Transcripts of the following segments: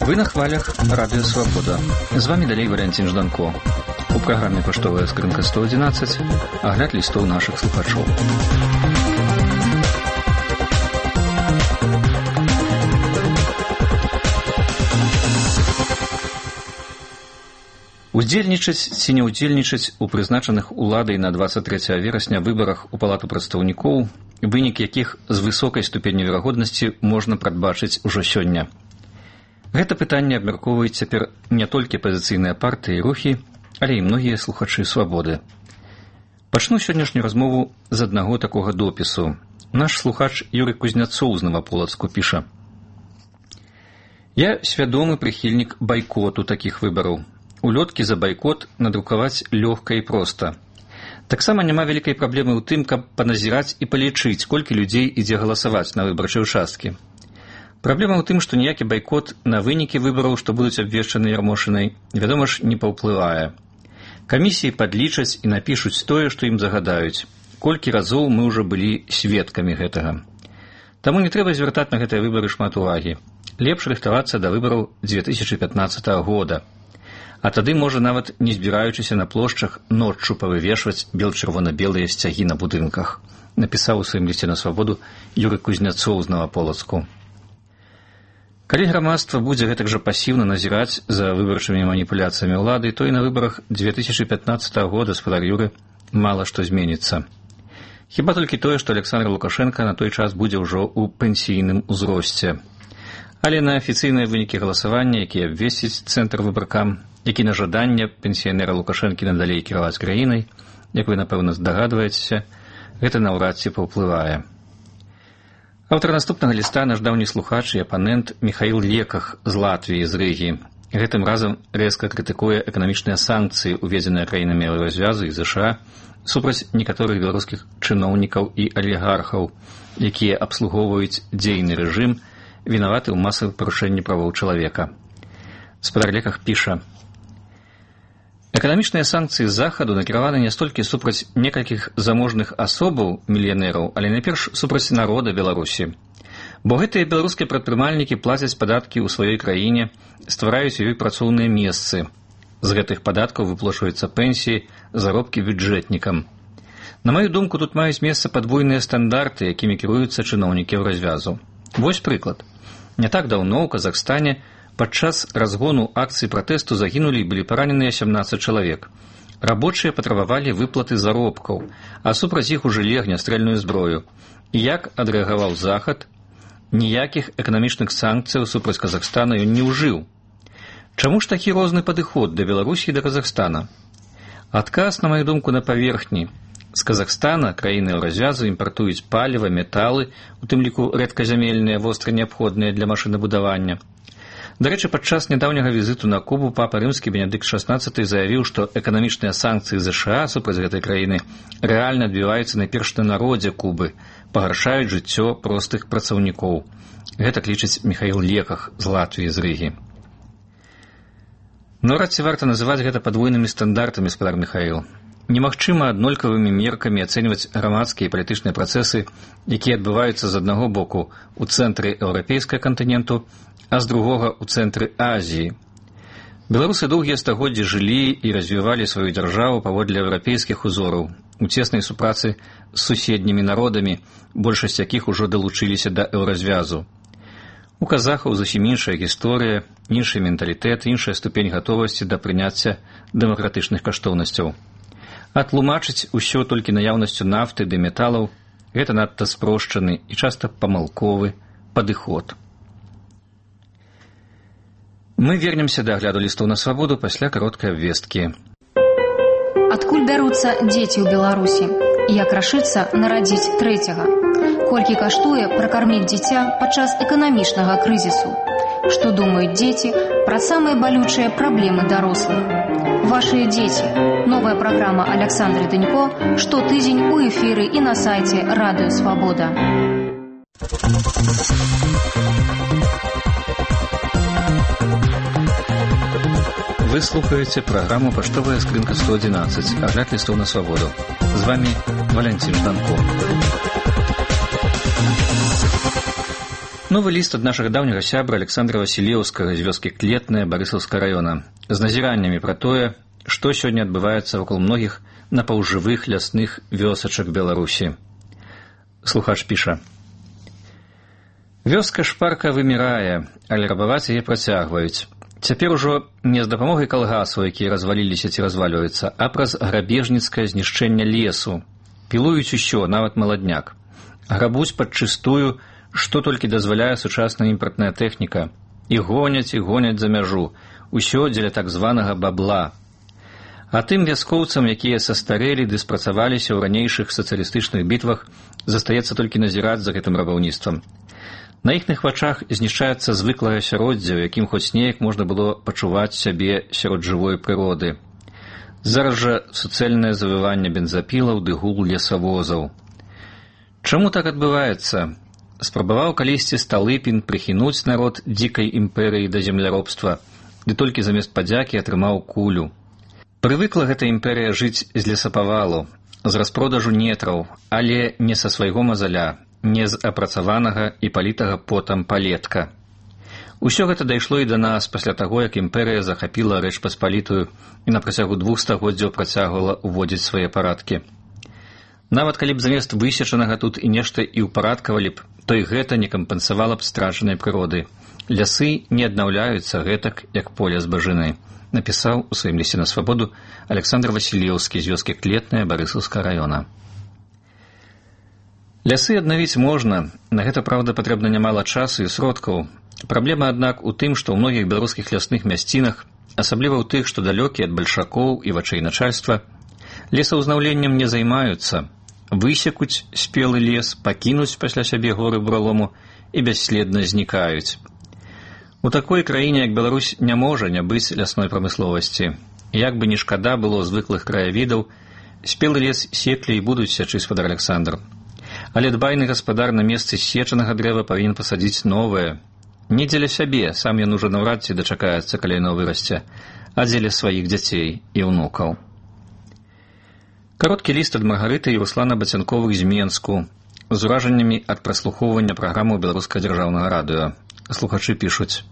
Вы на хвалях Радио Свобода. З вами далей Валентин Жданко. У праграме «Паштовая скрынка 111» агляд лістоў нашых слухачоў. Удзельнічаць ці не ўдзельнічаць у прызначаных уладай на 23 верасня выбарах у Палату прадстаўнікоў, вынік якіх з высокай ступенню верагоднасці можна прадбачыць ужо сёння. Гэта пытанне абмяркоўваюць цяпер не толькі апазіцыйныя партыі і рухі, але і многія слухачы «Свабоды». Пачну сённяшнюю размову з аднаго такога допісу. Наш слухач Юрый Кузняцоў з Новаполацку піша: «Я свядомы прыхільнік байкоту такіх выбараў. Улёткі за байкот надрукаваць лёгка і проста. Таксама няма вялікай праблемы ў тым, каб паназіраць і палічыць, колькі людзей ідзе галасаваць на выбарчыя ўчасткі. Праблема ў тым, што ніякі байкот на вынікі выбараў, што будуць абвешчаны Ярмошынай, вядома ж, не паўплывае. Камісіі падлічаць і напішуць тое, што ім загадаюць. Колькі разоў мы ўжо былі сведкамі гэтага. Таму не трэба звяртаць на гэтыя выбары шмат увагі. Лепш рыхтавацца да выбараў 2015 года. А тады, можа, нават не збіраючыся на плошчах, ноччу павывешваць бел-чырвона-белыя сцягі на будынках», напісаў у сваім лісце на Свабоду Юрый Кузняцоў з Новаполацку. Калі грамадства будзе гэтак жа пасіўна назіраць за выбарчымі маніпуляцыямі ўлады, то і на выбарах 2015 года, спадар Юры, мала што зменіцца. Хіба толькі тое, што Александр Лукашенко на той час будзе ўжо ў пенсійным узросце. Але на афіцыйныя вынікі галасавання, якія абвесціць цэнтр выбаркам, які на жаданне пенсіянера Лукашэнкі надалей кіраваць краінай, як вы, напэўна, здагадваецеся, гэта наўрад ці паўплывае. Аўтар наступнага ліста наш даўні слухач і апанент Міхаіл Леках з Латвіі, з Рыгі. Гэтым разам рэзка крытыкуе эканамічныя санкцыі, уведзеныя краінамі Еўразвязу і ЗША супраць некаторых беларускіх чыноўнікаў і алігархаў, якія абслугоўваюць дзейны рэжым, вінаваты ў масавых парушэнні правоў чалавека. Спадар Леках піша: «Эканамічныя санкцыі захаду накіраваны не столькі супраць некалькіх заможных асобаў, мільянераў, але найперш супраць народа Беларусі. Бо гэтыя беларускія прадпрымальнікі плацяць падаткі ў сваёй краіне, ствараюць ёй працоўныя месцы. З гэтых падаткаў выплачваюцца пенсіі, заробкі бюджэтнікам. На маю думку, тут маюць месца падвойныя стандарты, якімі кіруюцца чыноўнікі Еўразвязу. Вось прыклад. Не так даўно ў Казахстане падчас разгону акцыі пратэсту загінулі і былі параненыя 17 чалавек. Рабочыя патрабавалі выплаты заробкаў, а супраць іх ужылі агнястрэльную зброю. І як адрэагаваў Захад? Ніякіх эканамічных санкцыяў супраць Казахстана ён не ўжыў. Чаму ж такі розны падыход да Беларусі і да Казахстана? Адказ, на маю думку, на паверхні. З Казахстана краіны Еўразвязу імпартуюць паліва, металы, у тым ліку рэдказямельныя, востра неабходныя для машынабудавання. Дарэчы, падчас нядаўняга візіту на Кубу папа рымскі Бенедыкт XVI заявіў, што эканамічныя санкцыі ЗША супраць гэтай краіны рэальна адбіваюцца найперш на народзе Кубы, пагаршаюць жыццё простых працаўнікоў. Гэтак лічыць Міхаіл Леках з Латвіі, з Рыгі. Наўрад ці варта называць гэта падвойнымі стандартамі, спадар Міхаіл. Немагчыма аднолькавымі меркамі ацэньваць грамадскія і палітычныя працэсы, якія адбываюцца з аднаго боку ў цэнтры еўрапейскага кантыненту, а з другога ў цэнтры Азіі. Беларусы доўгія стагоддзі жылі і развівалі сваю дзяржаву паводле еўрапейскіх узораў, у цеснай супрацы з суседнімі народамі, большасць якіх ужо далучыліся да еўразвязу. У казахаў зусім іншая гісторыя, іншы менталітэт, іншая ступень гатовасці да прыняцця дэмакратычных каштоўнасцяў. А тлумачыць усё толькі наяўнасцю нафты ды металаў – гэта надта спрошчаны і часта памылковы падыход. Мы вернемся да агляду лістоў на Свабоду пасля кароткай абвесткі. Адкуль бяруцца дзеці ў Беларусі? Як рашыцца нарадзіць трэцяга? Колькі каштуе пракарміць дзіця падчас эканамічнага крызісу? Што думаюць дзеці пра самыя балючыя праблемы дарослых? Вашыя дзеці. Новая праграма Александры Дынько штотыдзень у эфіры і на сайце Радыё Свабода. Вы слухаеце праграму «Паштовая скрынка 111», агляд лістоў на Свабоду. З вами Валентин Жданко. Новы ліст ад нашага даўняга сябра Александра Васілеўскага з вёскі Клетная Барысаўскага района з назіраннямі пра тое, што сёння адбываецца вакол многіх напаўжывых лясных вёсачак Беларусі. Слухач піша: «Вёска шпарка вымірае, але рабаваць яе працягваюць. Цяпер ужо не з дапамогай калгасаў, якія разваліліся ці развальваюцца, а праз грабежніцкае знішчэнне лесу. Пілуюць усё, нават маладняк. Грабуць падчыстую, што толькі дазваляе сучасная імпартная тэхніка. І гоняць за мяжу. Усё дзеля так званага бабла. А тым вяскоўцам, якія састарэлі ды спрацаваліся ў ранейшых сацыялістычных бітвах, застаецца толькі назіраць за гэтым рабаўніцтвам. На іхных вачах знішчаецца звыклае асяроддзе, у якім хоць неяк можна было пачуваць сябе сярод жывой прыроды. Зараз жа суцэльнае завыванне бензапілаў ды гул лесавозаў. Чаму так адбываецца? Спрабаваў калісьці Сталыпін прыхінуць народ дзікай імперыі да земляробства, ды толькі замест падзякі атрымаў кулю. Прывыкла гэта імперыя жыць з лесапавалу, з распродажу нетраў, але не са свайго мазаля, не з апрацаванага і палітага потам палетка. Усё гэта дайшло і да нас пасля таго, як імперыя захапіла Рэч Паспалітую і на працягу 2 стагоддзяў працягвала ўводзіць свае парадкі. Нават калі б замест высечанага тут і нешта і ўпарадкавалі б, то і гэта не кампенсавала б страчанай прыроды. Лясы не аднаўляюцца гэтак, як поле збажыны, напісаў у сваім лісце на свабоду Александр Васілеўскі з вёскі Клетная Барысаўскага района. Лясы аднавіць можна, на гэта, праўда, патрэбна нямала часу і сродкаў. Праблема, аднак, у тым, што ў многіх беларускіх лясных мясцінах, асабліва ў тых, што далёкія ад бальшакоў і вачэй начальства, лесаўзнаўленнем не займаюцца, высекуць спелы лес, пакінуць пасля сябе горы буралому і бясследна знікаюць. У такой краіне, як Беларусь, не можа не быць лясной прамысловасці. Як бы ні шкада было звыклых краявідаў, спелы лес секлі і будуць сячы, спадар Александр. Але дбайны гаспадар на месцы сечанага дрэва павінен пасадзіць новае. Не дзеля сябе, сам ён ужо наўрад ці дачакаецца, калі яно вырасце, а дзеля сваіх дзяцей і ўнукаў. Кароткі ліст ад Маргарыты і Руслана Бацянковых з Менску з уражаннямі ад праслухоўвання праграмаў Беларускага дзяржаўнага радыё. Слухачы пішуць: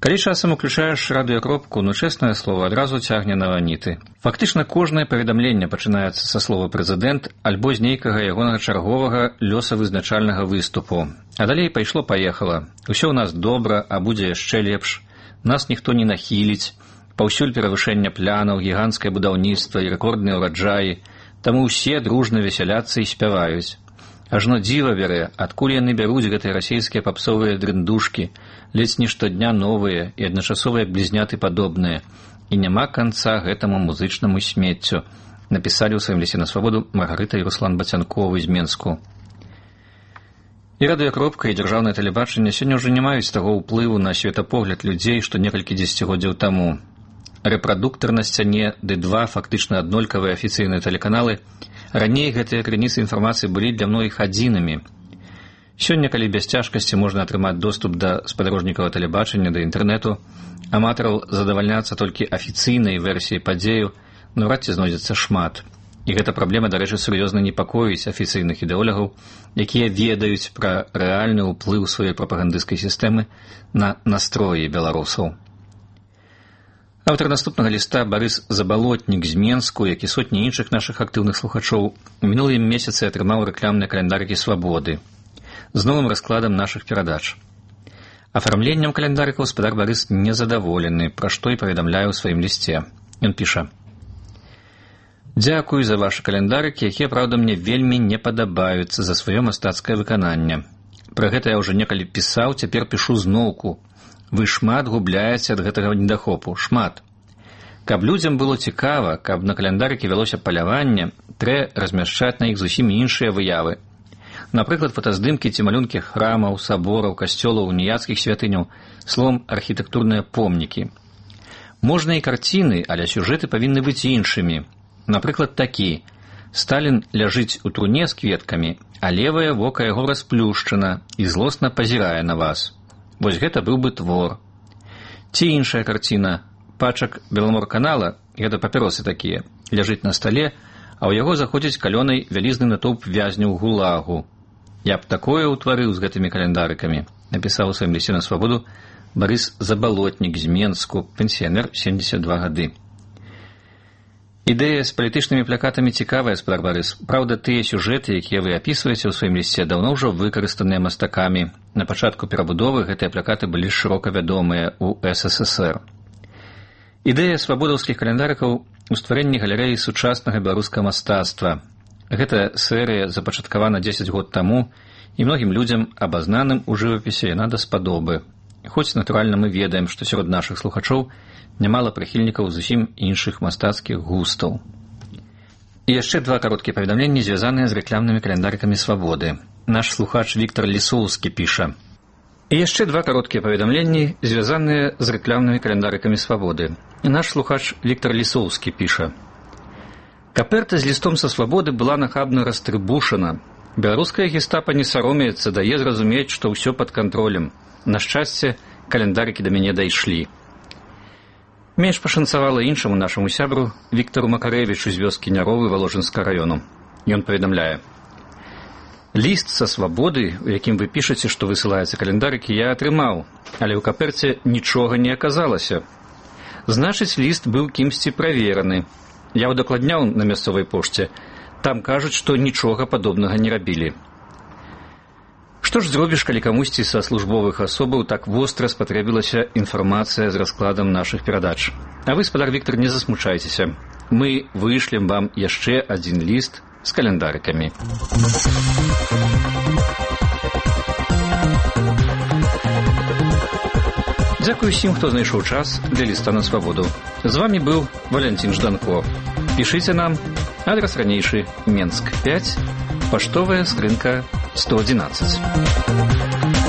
«Калі часам уключаеш радыёкропку, ну, чэснае слово, адразу цягне на ваніты. Фактычна кожнае паведамленне пачынаецца са слова «прэзідэнт» альбо з нейкага ягонага чарговага лёсавызначальнага выступу. А далей пайшло-паехала. Усё ў нас добра, а будзе яшчэ лепш. Нас ніхто не нахіліць. Паўсюль перавышэнне плянаў, гіганцкае будаўніцтва і рэкордныя ўраджаі. Таму ўсе дружна весяляцца і спяваюць. Ажно дзіва бярэ, адкуль яны бяруць гэтыя расейскія папсовыя дрындушкі, ледзь не штодня новыя і адначасова як блізняты падобныя. І няма канца гэтаму музычнаму смеццю», напісалі ў сваім лісце на свабоду Маргарыта і Руслан Бацянковы з Менску. І радыёкропка, і дзяржаўнае тэлебачанне сёння ўжо не маюць таго ўплыву на светапогляд людзей, што некалькі дзесяцігоддзяў таму. Рэпрадуктар на сцяне ды 2 фактычна аднолькавыя афіцыйныя тэлеканалы. Раней гэтыя крыніцы інфармацыі былі для многіх адзінымі. Сёння, калі без цяжкасці можна атрымаць доступ да спадарожнікавага тэлебачання, да інтэрнэту, аматараў задавальняцца толькі афіцыйнай версіяй падзею, наўрад ці знойдзецца шмат. І гэта праблема, дарэчы, сур'ёзна непакоіць афіцыйных ідэолагаў, якія ведаюць пра рэальны ўплыў сваёй прапагандысцкай сістэмы на настроі беларусаў. Аўтар наступнага ліста Барыс Забалотнік з Менску, як і сотні іншых нашых актыўных слухачоў, у мінулым месяцы атрымаў рэкламныя календарыкі «Свабоды» з новым раскладам нашых перадач. Афармленнем календарыкаў спадар Барыс незадаволены, пра што і паведамляе ў сваім лісце. Ён піша: «Дзякую за вашы календарыкі, якія, праўда, мне вельмі не падабаюцца за сваё мастацкае выкананне. Пра гэта я ўжо некалі пісаў, цяпер пішу зноўку. Вы шмат губляеце ад гэтага недахопу, шмат. Каб людзям было цікава, каб на календарыкі вялося паляванне, трэ размяшчаць на іх зусім іншыя выявы. Напрыклад, фотаздымкі ці малюнкі храмаў, сабораў, касцёлаў, уніяцкіх святыняў, словам, архітэктурныя помнікі. Можна і карціны, але сюжэты павінны быць іншымі. Напрыклад, такі: Сталін ляжыць у труне з кветкамі, а левае вока яго расплюшчана і злосна пазірае на вас. Вось гэта быў бы твор. Ці іншая карціна: пачак Беламорканала, гэта папіросы такія, ляжыць на стале, а ў яго заходзіць калёнай вялізны натоўп вязняў гулагу. Я б такое ўтварыў з гэтымі календарыкамі, напісаў у сваім лісце на свабоду Барыс Забалотнік з Менску, пенсіянер, 72 гады. Ідэя з палітычнымі плакатамі цікавая, спадар Барыс. Праўда, тыя сюжэты, якія вы апісваеце ў сваім лісце, даўно ўжо выкарыстаныя мастакамі. На пачатку перабудовы гэтыя плакаты былі шырока вядомыя ў СССР. Ідэя свабодаўскіх календарыкаў у стварэнні галерэі сучаснага беларускага мастацтва. Гэта серыя запачаткавана 10 год таму, і многім людзям, абазнаным у жывапісе, яна даспадобы. Хоць, натуральна, мы ведаем, што сярод нашых слухачоў нямала прыхільнікаў зусім іншых мастацкіх густаў. І яшчэ 2 кароткія паведамленні, звязаныя з рэкламнымі календарыкамі свабоды. Наш слухач Віктор Лісоўскі піша. І яшчэ 2 кароткія паведамленні, звязаныя з рэкламнымі календарыкамі свабоды. Наш слухач Віктор Лісоўскі піша. Каперта з лістом са свабоды была нахабна растрыбушана. Беларуская гестапа не саромеецца, дае зразумець, што ўсё пад кантролем. На шчасце, календарыкі да мяне дайшлі. Менш пашанцавала іншаму нашаму сябру Віктару Макарэвічу з вёскі Няровы Валожынскага раёну. Ён паведамляе. Ліст са свабоды, у якім вы пішаце, што высылаецца календарыкі, я атрымаў, але ў каперце нічога не аказалася. Значыць, ліст быў кімсьці правераны. Я ўдакладняў на мясцовай пошце. Там кажуць, што нічога падобнага не рабілі. Што ж зробіш, калі камусьці са службовых асобаў так востра спатрэбілася інфармацыя з раскладам нашых перадач? А вы, спадар Віктар, не засмучайцеся. Мы вышлем вам яшчэ адзін ліст з календарыкамі. Дзякую усім, хто знайшоў час для ліста на свабоду. З вамі быў Валянцін Жданко. Пішыце нам. Адрес ранейшы Менск 5, паштовая скрынка 111.